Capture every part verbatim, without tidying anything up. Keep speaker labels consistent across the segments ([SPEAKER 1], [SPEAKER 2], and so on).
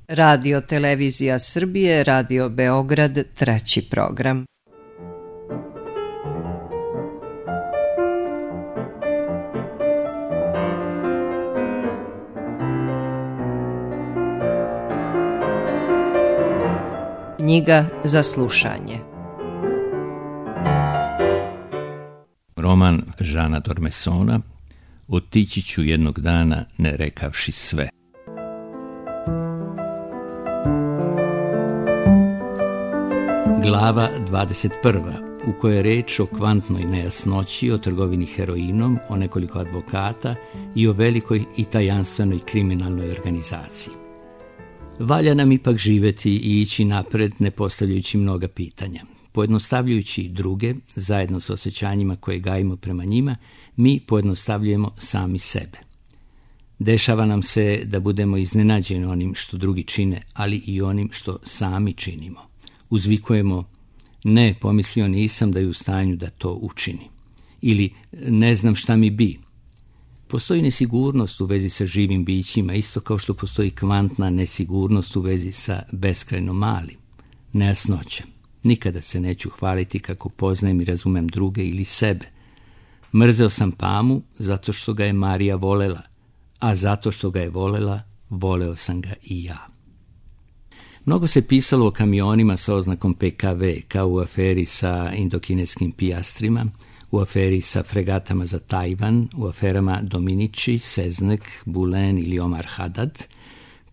[SPEAKER 1] Radio Televizija Srbije, Radio Beograd, treći program. Knjiga za slušanje.
[SPEAKER 2] Roman Žana Dormesona Otići ću jednog dana ne rekavši sve. Glava dvadeset prva, u kojoj je reč o kvantnoj nejasnoći, o trgovini heroinom, o nekoliko advokata i o velikoj i tajanstvenoj kriminalnoj organizaciji. Valja nam ipak živjeti i ići napred ne postavljajući mnoga pitanja. Pojednostavljujući druge, zajedno s osjećanjima koje gajimo prema njima, mi pojednostavljujemo sami sebe. Dešava nam se da budemo iznenađeni onim što drugi čine, ali i onim što sami činimo. Uzvikujemo, ne, pomislio nisam da je u stanju da to učini. Ili, ne znam šta mi bi. Postoji nesigurnost u vezi sa živim bićima, isto kao što postoji kvantna nesigurnost u vezi sa beskrajno malim. Nejasnoća. Nikada se neću hvaliti kako poznajem i razumem druge ili sebe. Mrzeo sam Pamu zato što ga je Marija volela, a zato što ga je volela, voleo sam ga i ja. Mnogo se pisalo o kamionima sa oznakom P K V, kao u aferi sa indokineskim pijastrima, u aferi sa fregatama za Tajvan, u aferama Dominici, Seznek, Bulen ili Omar Haddad,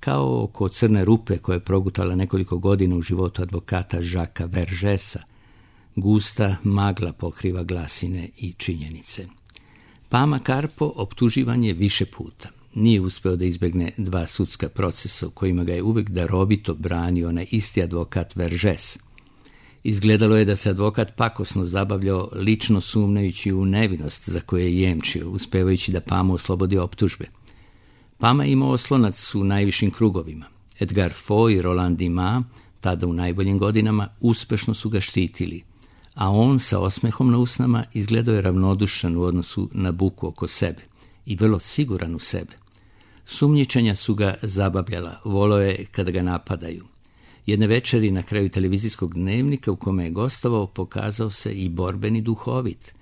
[SPEAKER 2] kao oko crne rupe koja je progutala nekoliko godina u životu advokata Žaka Veržesa. Gusta magla pokriva glasine i činjenice. Pama Karpo optuživan je više puta. Nije uspeo da izbegne dva sudska procesa u kojima ga je uvek darovito branio onaj isti advokat Veržes. Izgledalo je da se advokat pakosno zabavljao, lično sumnjajući u nevinost za koje je jemčio, uspevajući da Pamu oslobodi optužbe. Pama je imao oslonac u najvišim krugovima. Edgar Foy i Roland Dumas, tada u najboljim godinama, uspešno su ga štitili, a on sa osmehom na usnama izgledao je ravnodušan u odnosu na buku oko sebe i vrlo siguran u sebe. Sumnjičenja su ga zabavljala, voleo je kada ga napadaju. Jedne večeri na kraju televizijskog dnevnika u kome je gostovao pokazao se i borbeni duhovit.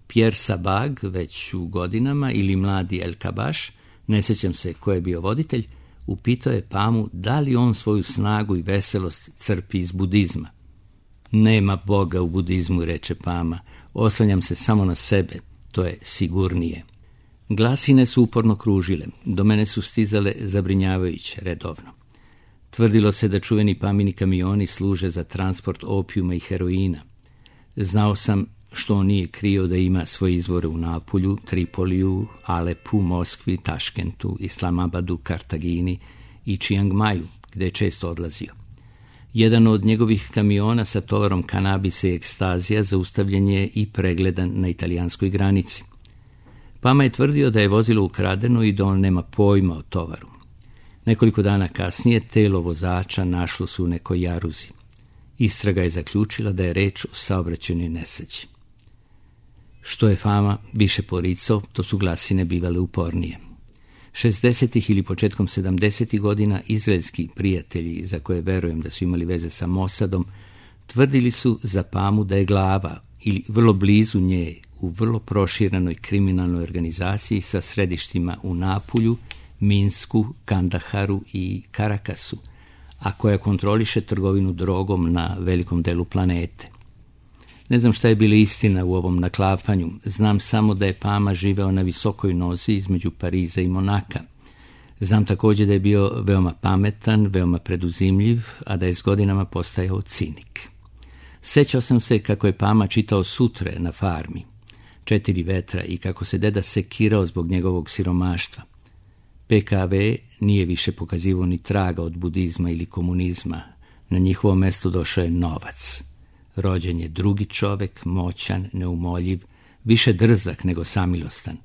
[SPEAKER 2] Pierre Sabag, već u godinama, ili mladi El Kabaš, ne sjećam se ko je bio voditelj, upitao je Pamu da li on svoju snagu i veselost crpi iz budizma. Nema Boga u budizmu, reče Pama, oslanjam se samo na sebe, to je sigurnije. Glasine su uporno kružile, do mene su stizale zabrinjavajuće, redovno. Tvrdilo se da čuveni Pamini kamioni služe za transport opijuma i heroina. Znao sam što on nije krio da ima svoje izvore u Napulju, Tripoliju, Alepu, Moskvi, Taškentu, Islamabadu, Kartagini i Čiangmaju, gde je često odlazio. Jedan od njegovih kamiona sa tovarom kanabisa i ekstazija zaustavljen je i pregledan na italijanskoj granici. Pama je tvrdio da je vozilo ukradeno i da on nema pojma o tovaru. Nekoliko dana kasnije telo vozača našlo su u nekoj jaruzi. Istraga je zaključila da je reč o saobraćajnoj nesreći. Što je Fama više poricao, to su glasine bivale upornije. šezdesetih ili početkom sedamdesetih godina izraelski prijatelji, za koje verujem da su imali veze sa Mossadom, tvrdili su za Pamu da je glava ili vrlo blizu nje u vrlo proširenoj kriminalnoj organizaciji sa središtima u Napulju, Minsku, Kandaharu i Karakasu, a koja kontroliše trgovinu drogom na velikom delu planete. Ne znam šta je bila istina u ovom naklapanju, znam samo da je Pama živeo na visokoj nozi između Pariza i Monaka. Znam također da je bio veoma pametan, veoma preduzimljiv, a da je s godinama postajao cinik. Sećao sam se kako je Pama čitao sutre na farmi, Četiri vetra, i kako se deda sekirao zbog njegovog siromaštva. P K V nije više pokazivao ni traga od budizma ili komunizma. Na njihovo mesto došao je novac. Rođen je drugi čovek, moćan, neumoljiv, više drzak nego samilostan.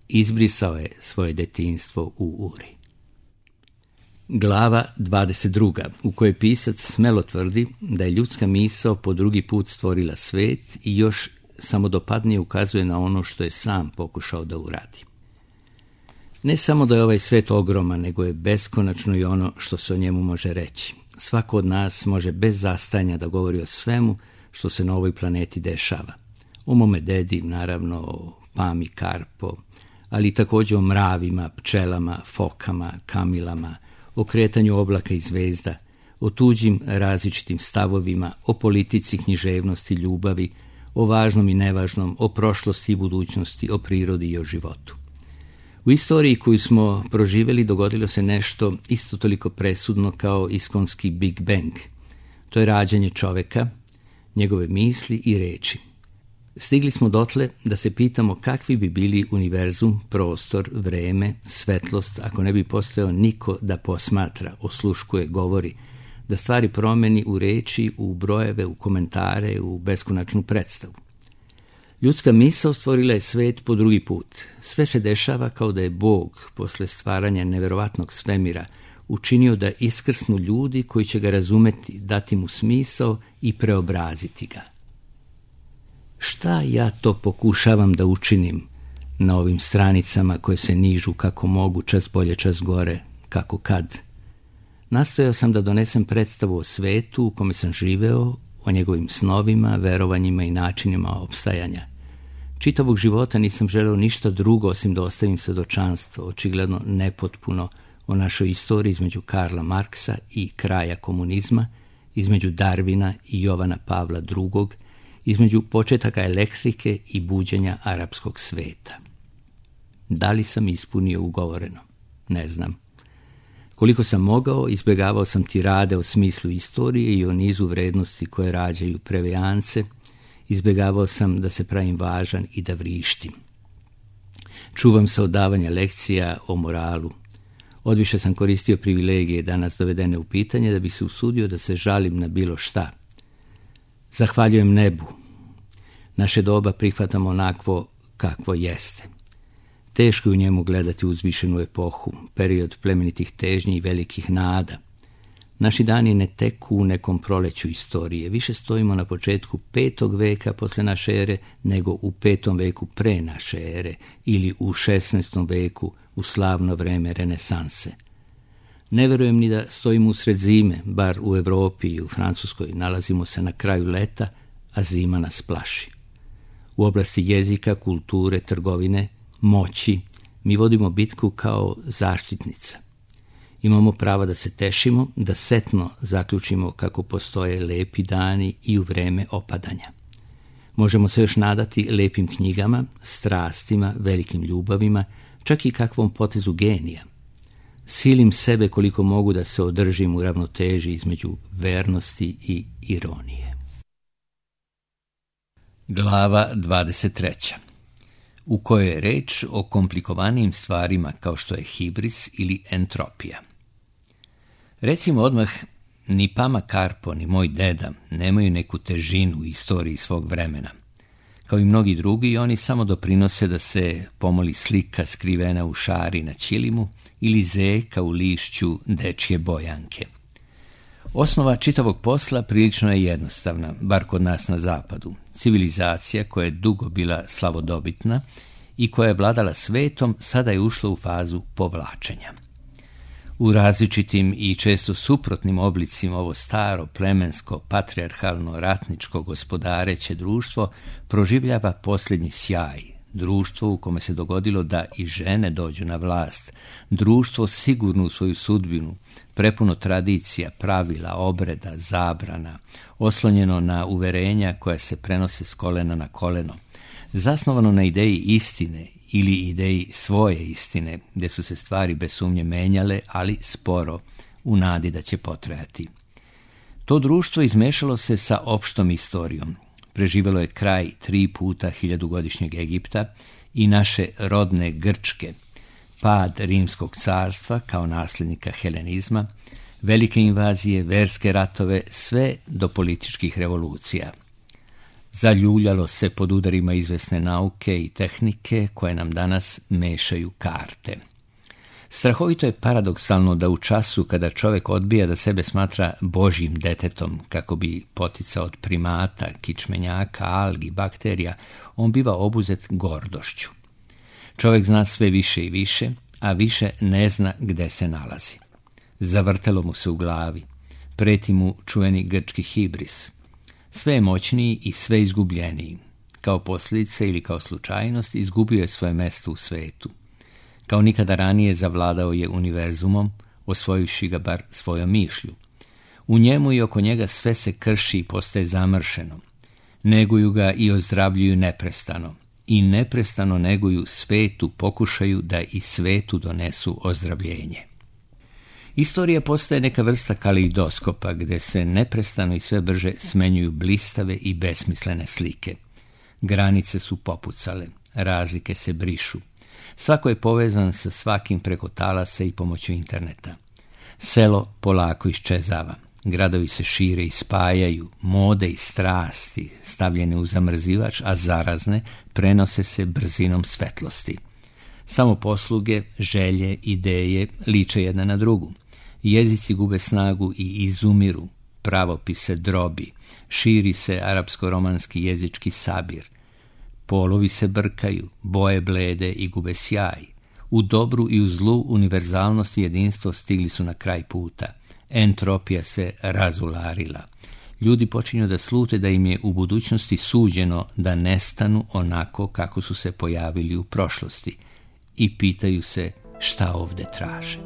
[SPEAKER 2] Izbrisao je svoje detinjstvo u Uri. Glava dvadeset druga, u kojoj pisac smelo tvrdi da je ljudska misao po drugi put stvorila svet i još samodopadnije ukazuje na ono što je sam pokušao da uradi. Ne samo da je ovaj svet ogroman, nego je beskonačno i ono što se o njemu može reći. Svako od nas može bez zastajanja da govori o svemu što se na ovoj planeti dešava. O mome dedi, naravno, o Pami Karpo, ali također o mravima, pčelama, fokama, kamilama, o kretanju oblaka i zvezda, o tuđim različitim stavovima, o politici, književnosti, ljubavi, o važnom i nevažnom, o prošlosti i budućnosti, o prirodi i o životu. U istoriji koju smo proživjeli dogodilo se nešto isto toliko presudno kao iskonski Big Bang. To je rađanje čoveka, njegove misli i reči. Stigli smo dotle da se pitamo kakvi bi bili univerzum, prostor, vreme, svetlost, ako ne bi postojao niko da posmatra, osluškuje, govori, da stvari promeni u reči, u brojeve, u komentare, u beskonačnu predstavu. Ljudska misao stvorila je svet po drugi put. Sve se dešava kao da je Bog, posle stvaranja neverovatnog svemira, učinio da iskrsnu ljudi koji će ga razumeti, dati mu smisao i preobraziti ga. Šta ja to pokušavam da učinim na ovim stranicama koje se nižu kako mogu, čas bolje, čas gore, kako kad? Nastojao sam da donesem predstavu o svetu u kome sam živeo, o njegovim snovima, verovanjima i načinima opstajanja. Čitavog života nisam želeo ništa drugo osim da ostavim svedočanstvo, očigledno nepotpuno, o našoj istoriji između Karla Marksa i kraja komunizma, između Darwina i Jovana Pavla drugog, između početaka elektrike i buđenja arapskog sveta. Da li sam ispunio ugovoreno? Ne znam. Koliko sam mogao, izbjegavao sam tirade o smislu istorije i o nizu vrednosti koje rađaju prevejance, izbjegavao sam da se pravim važan i da vrištim. Čuvam se od davanja lekcija o moralu. Odviše sam koristio privilegije danas dovedene u pitanje da bih se usudio da se žalim na bilo šta. Zahvaljujem nebu. Naše doba prihvatamo onakvo kakvo jeste. Teško je u njemu gledati uzvišenu epohu, period plemenitih težnji i velikih nada. Naši dani ne teku u nekom proleću istorije. Više stojimo na početku petog veka posle naše ere nego u petom veku pre naše ere ili u šesnaestom veku u slavno vreme renesanse. Ne verujem ni da stojimo usred zime, bar u Evropi i u Francuskoj nalazimo se na kraju leta, a zima nas plaši. U oblasti jezika, kulture, trgovine, moći, mi vodimo bitku kao zaštitnica. Imamo prava da se tešimo, da setno zaključimo kako postoje lepi dani i u vreme opadanja. Možemo se još nadati lepim knjigama, strastima, velikim ljubavima, čak i kakvom potezu genija. Silim sebe koliko mogu da se održim u ravnoteži između vernosti i ironije. Glava dvadeset treća. U kojoj je reč o komplikovanijim stvarima kao što je hibris ili entropija. Recimo odmah, ni Pama Karpo, ni moj deda nemaju neku težinu u istoriji svog vremena. Kao i mnogi drugi, oni samo doprinose da se pomoli slika skrivena u šari na ćilimu ili zeka u lišću dečje bojanke. Osnova čitavog posla prilično je jednostavna, bar kod nas na zapadu. Civilizacija koja je dugo bila slavodobitna i koja je vladala svetom, sada je ušla u fazu povlačenja. U različitim i često suprotnim oblicima ovo staro, plemensko, patrijarhalno, ratničko, gospodareće društvo proživljava posljednji sjaj. Društvo u kome se dogodilo da i žene dođu na vlast. Društvo sigurno u svoju sudbinu, prepuno tradicija, pravila, obreda, zabrana, oslonjeno na uverenja koja se prenose s kolena na koleno. Zasnovano na ideji istine ili ideji svoje istine, gdje su se stvari bez sumnje menjale, ali sporo, u nadi da će potrajati. To društvo izmešalo se sa opštom istorijom. Preživjelo je kraj tri puta hiljadugodišnjeg Egipta i naše rodne Grčke, pad Rimskog carstva kao nasljednika helenizma, velike invazije, verske ratove, sve do političkih revolucija. Zaljuljalo se pod udarima izvesne nauke i tehnike koje nam danas mešaju karte. Strahovito je paradoksalno da u času kada čovjek odbija da sebe smatra božjim detetom kako bi poticao od primata, kičmenjaka, algi, bakterija, on biva obuzet gordošću. Čovjek zna sve više i više, a više ne zna gde se nalazi. Zavrtelo mu se u glavi, preti mu čuveni grčki hibris. Sve je moćniji i sve izgubljeniji. Kao posljedica ili kao slučajnost izgubio je svoje mesto u svetu. Kao nikada ranije zavladao je univerzumom, osvojivši ga bar svojom mišlju. U njemu i oko njega sve se krši i postaje zamršeno. Neguju ga i ozdravljuju neprestano. I neprestano neguju svetu, pokušaju da i svetu donesu ozdravljenje. Istorija postaje neka vrsta kaleidoskopa gde se neprestano i sve brže smenjuju blistave i besmislene slike. Granice su popucale, razlike se brišu. Svako je povezan sa svakim preko talasa i pomoću interneta. Selo polako iščezava. Gradovi se šire i spajaju, mode i strasti, stavljene u zamrzivač, a zarazne, prenose se brzinom svetlosti. Samo posluge, želje, ideje liče jedna na drugu. Jezici gube snagu i izumiru, pravopis se drobi, širi se arapsko-romanski jezički sabir. Polovi se brkaju, boje blede i gube sjaj. U dobru i u zlu univerzalnost i jedinstvo stigli su na kraj puta. Entropija se razularila. Ljudi počinju da slute da im je u budućnosti suđeno da nestanu onako kako su se pojavili u prošlosti i pitaju se šta ovde traže.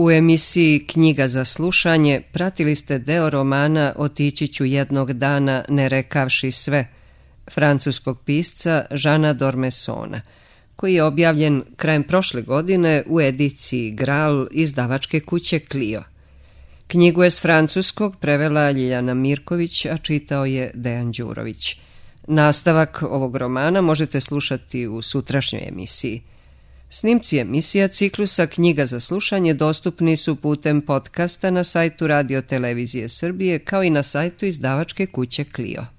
[SPEAKER 1] U emisiji Knjiga za slušanje pratili ste deo romana Otići ću jednog dana ne rekavši sve, francuskog pisca Žana Dormesona, koji je objavljen krajem prošle godine u ediciji Gral izdavačke kuće Clio. Knjigu je s francuskog prevela Ljiljana Mirković, a čitao je Dejan Đurović. Nastavak ovog romana možete slušati u sutrašnjoj emisiji. Snimci emisija ciklusa Knjiga za slušanje dostupni su putem podcasta na sajtu Radio Televizije Srbije kao i na sajtu izdavačke kuće Clio.